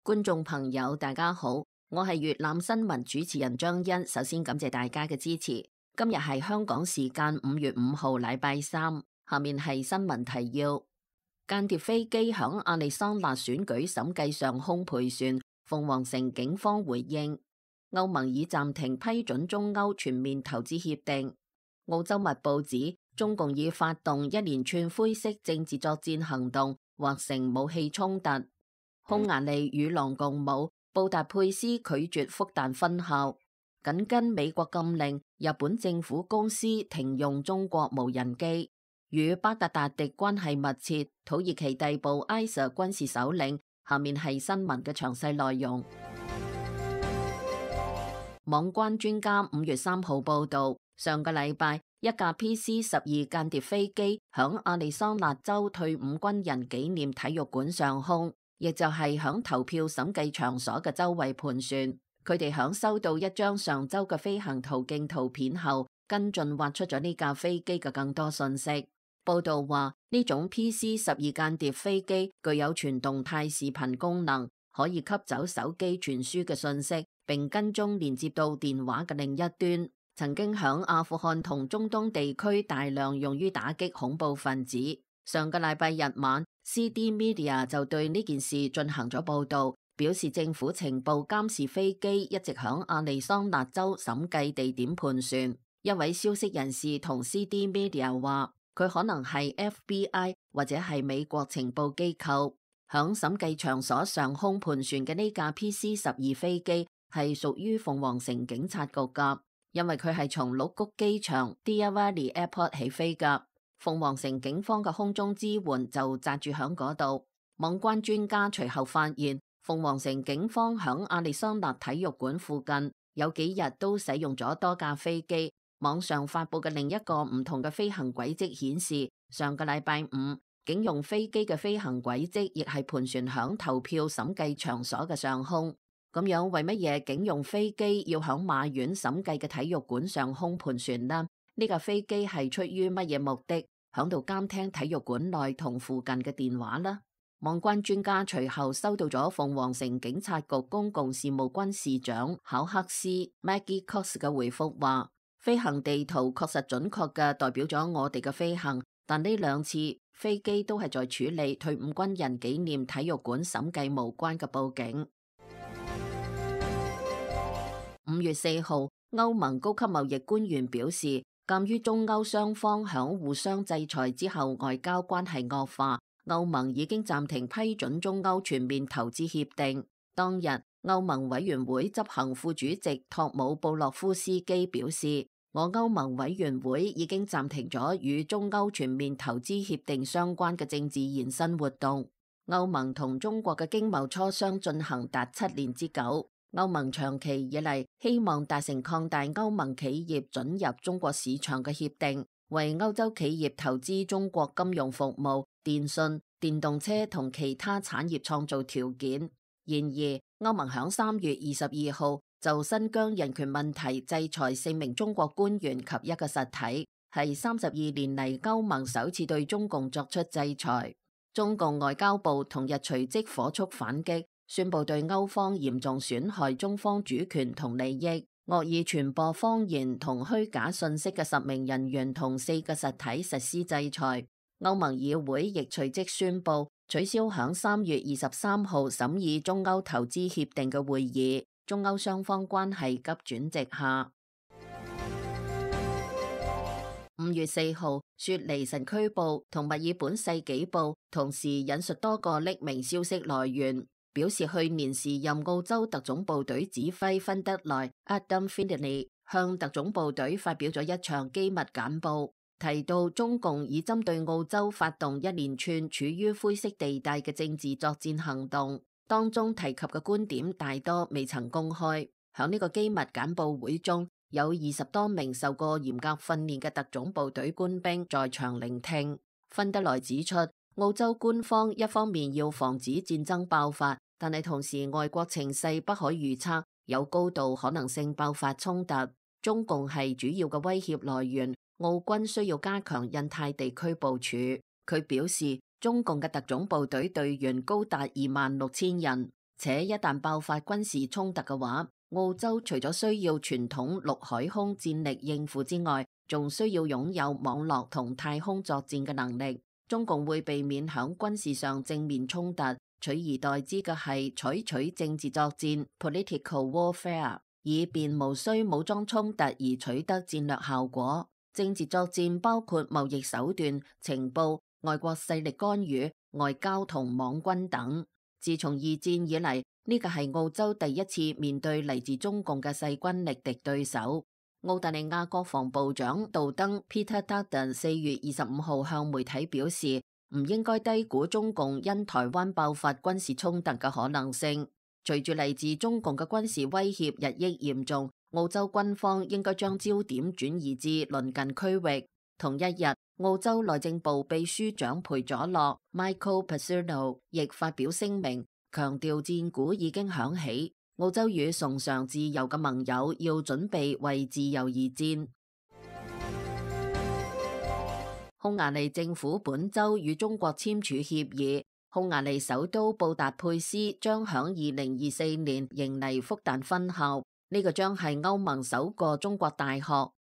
觀眾朋友大家好，我係粵覽新聞主持人張欣，首先感謝大家嘅支持。今日係香港時間5月5號禮拜三，下面係新聞提要：間諜飛機響亞利桑那選舉審計上空盤旋，鳳凰城警方回應。歐盟已暫停批准中歐全面投資協定。澳洲密報指中共已發動一連串灰色政治作戰行動，或成武器衝突。匈牙利與狼共舞，布達佩斯拒絕復旦分校。緊跟美國禁令，日本政府公司停用中國無人機。與巴格達迪關係密切，土耳其逮捕埃塞軍事首領。下面係新聞嘅詳細內容。網關專家5月3號報道，上個禮拜一架 PC-12間諜飛機響亞利桑那州退伍軍人紀念體育館上空，亦就係響投票審計場所嘅周圍盤旋。佢哋響收到一張上周嘅飛行途徑圖片後，跟進挖出咗呢架飛機嘅更多信息。報道話呢種 PC-12間諜飛機具有全動態視頻功能，可以吸走手機傳輸嘅信息，並跟蹤連接到電話嘅另一端。曾經響阿富汗同中東地區大量用於打擊恐怖分子。上個禮拜日晚，CD Media 就對呢件事進行咗報道，表示政府情報監視飛機一直響亞利桑那州審計地點盤旋。一位消息人士同 CD Media 話，佢可能係 FBI 或者係美國情報機構。響審計場所上空盤旋嘅呢架 PC-12飛機係屬於鳳凰城警察局噶，因為佢係從鹿谷機場 Deer Valley Airport 起飛噶。鳳凰城警方嘅空中支援就紮住響嗰度。網關專家隨後發現，鳳凰城警方響亞利桑那體育館附近有幾日都使用咗多架飛機。網上發佈嘅另一個唔同嘅飛行軌跡顯示，上個禮拜五警用飛機嘅飛行軌跡亦係盤旋響投票審計場所嘅上空。咁樣為乜嘢警用飛機要響馬縣審計嘅體育館上空盤旋呢？呢架飛機係出於乜嘢目的響度監聽體育館內同附近嘅電話呢？網關專家隨後收到咗鳳凰城警察局公共事務軍事長考克斯 Maggie Cox 嘅回覆話，飛行地圖確實準確嘅代表咗我哋嘅飛行，但呢兩次飛機都係在處理退伍軍人紀念體育館審計無關嘅報警。5月4號，歐盟高級貿易官員表示，鑒於中歐雙方響互相制裁之後外交關係惡化，歐盟已經暫停批准中歐全面投資協定。當日，歐盟委員會執行副主席托姆布洛夫斯基表示，我歐盟委員會已經暫停咗與中歐全面投資協定相關嘅政治延伸活動。歐盟同中國嘅經貿磋商進行達7年之久。歐盟長期以嚟希望達成擴大歐盟企業准入中國市場嘅協定，為歐洲企業投資中國金融服務、電信、電動車同其他產業創造條件。然而，歐盟響3月22號就新疆人權問題制裁4名中國官員及一個實體，係32年嚟歐盟首次對中共作出制裁。中共外交部同日隨即火速反擊，宣布對歐方嚴重損害中方主權同利益、惡意傳播謊言同虛假信息嘅10名人員同4個實體實施制裁。歐盟議會亦隨即宣布取消響3月23號審議中歐投資協定嘅會議，中歐雙方關係急轉直下。5月4號，雪梨晨區報同墨爾本世紀報同時引述多個匿名消息來源，表示去年時任澳洲特種部隊指揮芬德萊 Adam Findlay 向特種部隊發表咗一場機密簡報，提到中共已針對澳洲發動一連串處於灰色地帶嘅政治作戰行動，當中提及嘅觀點大多未曾公開。響呢個機密簡報會中，有20多名受過嚴格訓練嘅特種部隊官兵在場聆聽。芬德萊指出，澳洲官方一方面要防止戰爭爆發，但係同時外國情勢不可預測，有高度可能性爆發衝突。中共係主要嘅威脅來源，澳軍需要加強印太地區部署。佢表示，中共嘅特種部隊隊員高達26000人。且一旦爆發軍事衝突嘅話，澳洲除咗需要傳統陸海空戰力應付之外，仲需要擁有網絡同太空作戰嘅能力。中共會避免響軍事上正面衝突，取而代之嘅係採取政治作戰 （political warfare），以便無需武裝衝突而取得戰略效果。政治作戰包括貿易手段、情報、外國勢力干預、外交同網軍等。自從二戰以嚟，呢個係澳洲第一次面對嚟自中共嘅勢均力敵對手。澳大利亞國防部長杜登 Peter Dutton 4月25號向媒體表示，唔應該低估中共因台灣爆發軍事衝突嘅可能性。隨住嚟自中共嘅軍事威脅日益嚴重，澳洲軍方應該將焦點轉移至鄰近區域。同一日，澳洲內政部秘書長裴佐洛 Michael Pasurno 亦發表聲明，強調戰鼓已經響起。澳洲與崇尚自由嘅盟友要準備為自由而戰。匈牙利政府本周與中國簽署協議，匈牙利首都布達佩斯將響2024年迎嚟復旦分校，呢個將係歐盟首個中國大學。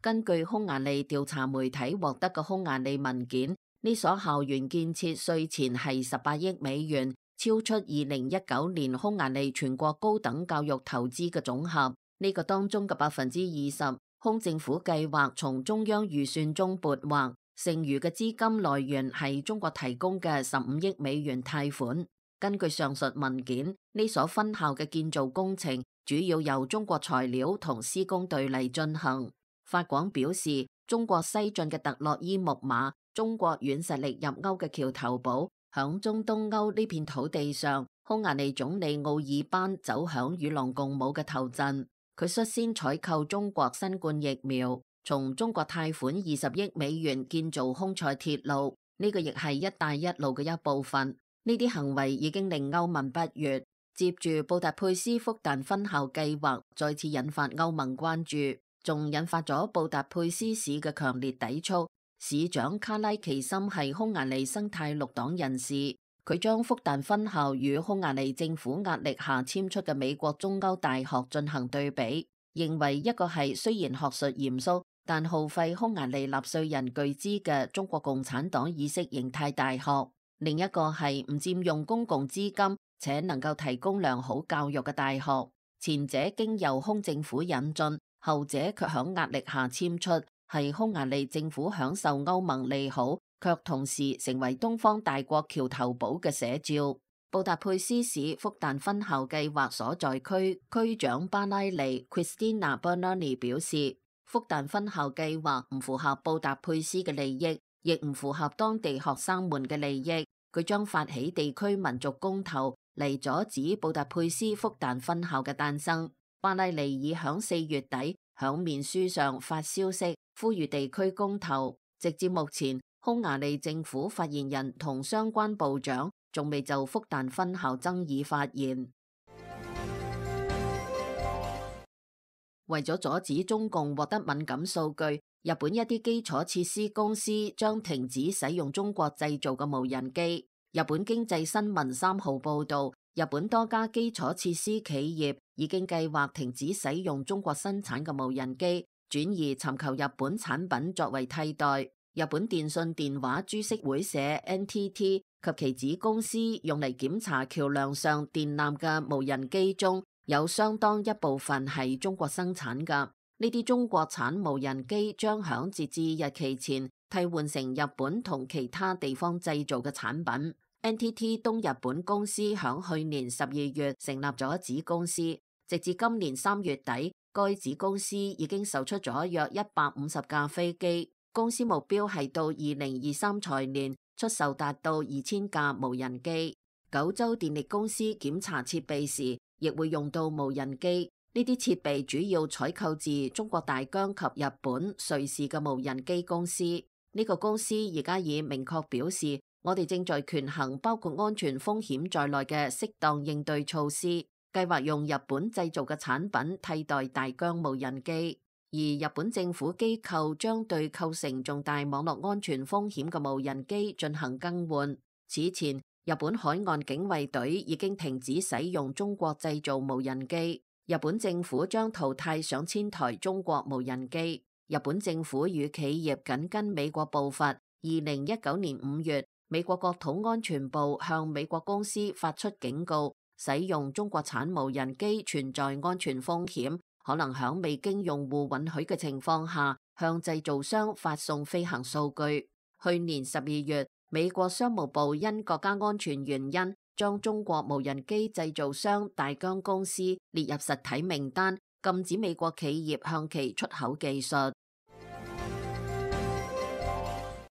根據匈牙利調查媒體獲得嘅匈牙利文件，呢所校園建設稅前係18億美元。超出2019年匈牙利全國高等教育投資嘅總和，呢個當中嘅20%，匈政府計劃從中央預算中撥劃，剩餘嘅資金來源係中國提供嘅15億美元貸款。根據上述文件，呢所分校嘅建造工程主要由中國材料同施工隊嚟進行。法廣表示，中國西進嘅特洛伊木馬，中國軟實力入歐嘅橋頭堡。響中東歐呢片土地上，匈牙利總理奧爾班走響與狼共舞嘅頭陣。佢率先採購中國新冠疫苗，從中國貸款20億美元建造匈塞鐵路，呢個亦係一帶一路嘅一部分。呢啲行為已經令歐盟不悅。接住布達佩斯復旦分校計劃再次引發歐盟關注，仲引發咗布達佩斯市嘅強烈抵觸。市長卡拉奇森係匈牙利生態綠黨人士，佢將復旦分校與匈牙利政府壓力下簽出嘅美國中歐大學進行對比，認為一個係雖然學術嚴肅，但耗費匈牙利納稅人巨資嘅中國共產黨意識形態大學，另一個係唔佔用公共資金且能夠提供良好教育嘅大學。前者經由匈政府引進，後者卻響壓力下簽出，係匈牙利政府享受歐盟利好，卻同時成為東方大國橋頭堡嘅寫照。布達佩斯市復旦分校計劃所在區區長巴拉尼 Christina Bernani 表示，復旦分校計劃唔符合布達佩斯嘅利益，亦唔符合當地學生們嘅利益。佢將發起地區民族公投嚟阻止布達佩斯復旦分校嘅誕生。巴拉尼已響4月底響面書上發消息，呼籲地區公投。直至目前，匈牙利政府發言人同相關部長仲未就復旦分校爭議發言。為咗阻止中共獲得敏感數據，日本一啲基礎設施公司將停止使用中國製造嘅無人機。日本經濟新聞3號報道，日本多家基礎設施企業已經計劃停止使用中國生產嘅無人機，轉而尋求日本產品作為替代。日本電信電話株式會社 NTT 及其子公司用嚟檢查橋樑上電纜嘅無人機中，有相當一部分係中國生產㗎。呢啲中國產無人機將響截至日期前替換成日本同其他地方製造嘅產品。NTT 東日本公司響去年12月成立咗子公司，直至今年3月底，該子公司已經售出咗約150架飛機。公司目標係到2023財年出售達到2000架無人機。九州電力公司檢查設備時，亦會用到無人機。呢啲設備主要採購自中國大疆及日本、瑞士嘅無人機公司。呢個公司而家已明確表示，我哋正在權衡包括安全風險在內嘅適當應對措施，計劃用日本製造嘅產品替代大疆無人機。而日本政府機構將對構成重大網絡安全風險嘅無人機進行更換。此前，日本海岸警衛隊已經停止使用中國製造無人機。日本政府將淘汰上千台中國無人機。日本政府與企業緊跟美國步伐。2019年5月，美國國土安全部向美國公司發出警告，使用中國產無人機存在安全風險，可能響未經用戶允許嘅情況下，向製造商發送飛行數據。去年12月，美國商務部因國家安全原因，將中國無人機製造商大疆公司列入實體名單，禁止美國企業向其出口技術。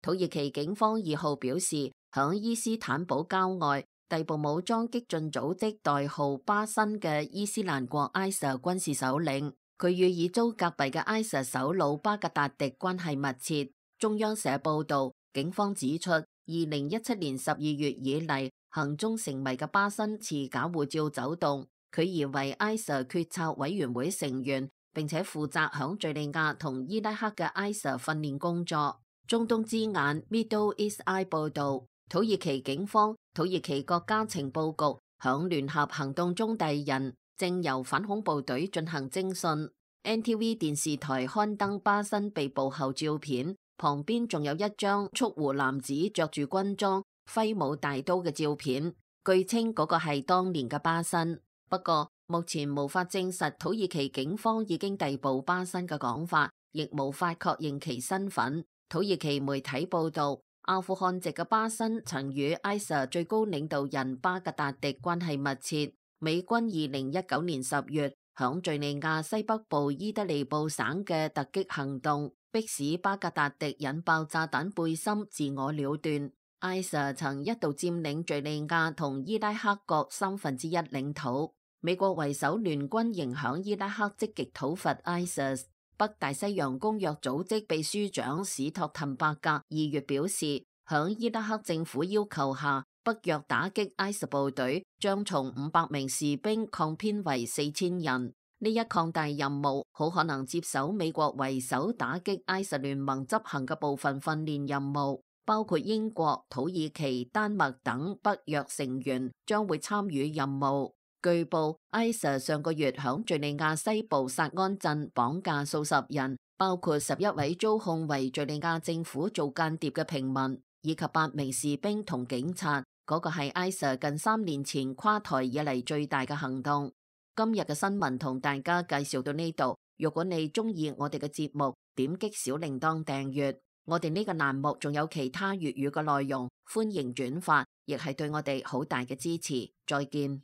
土耳其警方2號表示，響伊斯坦堡郊外逮捕武裝激進組織代號巴辛嘅伊斯蘭國 ISIS 軍事首領，佢與已遭革斃嘅 ISIS 首腦巴格達迪關係密切。中央社報道，警方指出，2017年12月以嚟，行蹤成謎嘅巴辛持假護照走動，佢疑為 ISIS 決策委員會成員，並且負責響敘利亞同伊拉克嘅 ISIS 訓練工作。中東之眼 Middle East Eye 報道，土耳其警方、土耳其國家情報局響聯合行動中遞人，正由反恐部隊進行偵訊。NTV 電視台刊登巴辛被捕後照片，旁邊仲有一張蓄鬍男子着住軍裝、揮舞大刀嘅照片，據稱嗰個係當年嘅巴辛。不過目前無法證實土耳其警方已經逮捕巴辛嘅講法，亦無法確認其身份。土耳其媒體報道，阿富汗籍嘅巴辛曾與 ISIS 最高領導人巴格達迪關係密切。美軍2019年10月響敘利亞西北部伊德利布省嘅突擊行動，迫使巴格達迪引爆炸彈背心自我了斷。ISIS 曾一度佔領敘利亞同伊拉克各1/3領土。美國為首聯軍仍響伊拉克積極討伐 ISIS。北大西洋公約組織秘書長史托滕伯格2月表示，響伊拉克政府要求下，北約打擊 ISIS 部隊將從500名士兵擴編為4000人。呢一擴大任務好可能接手美國為首打擊 ISIS 聯盟執行嘅部分訓練任務，包括英國、土耳其、丹麥等北約成員將會參與任務。據報 ，ISIS 上個月響敘利亞西部薩安鎮綁架數十人，包括11位遭控為敘利亞政府做間諜嘅平民，以及8名士兵同警察。嗰個係 ISIS 近3年前跨台以嚟最大嘅行動。今日嘅新聞同大家介紹到呢度。如果你中意我哋嘅節目，點擊小鈴鐺訂閱。我哋呢個欄目仲有其他粵語嘅內容，歡迎轉發，亦係對我哋好大嘅支持。再見。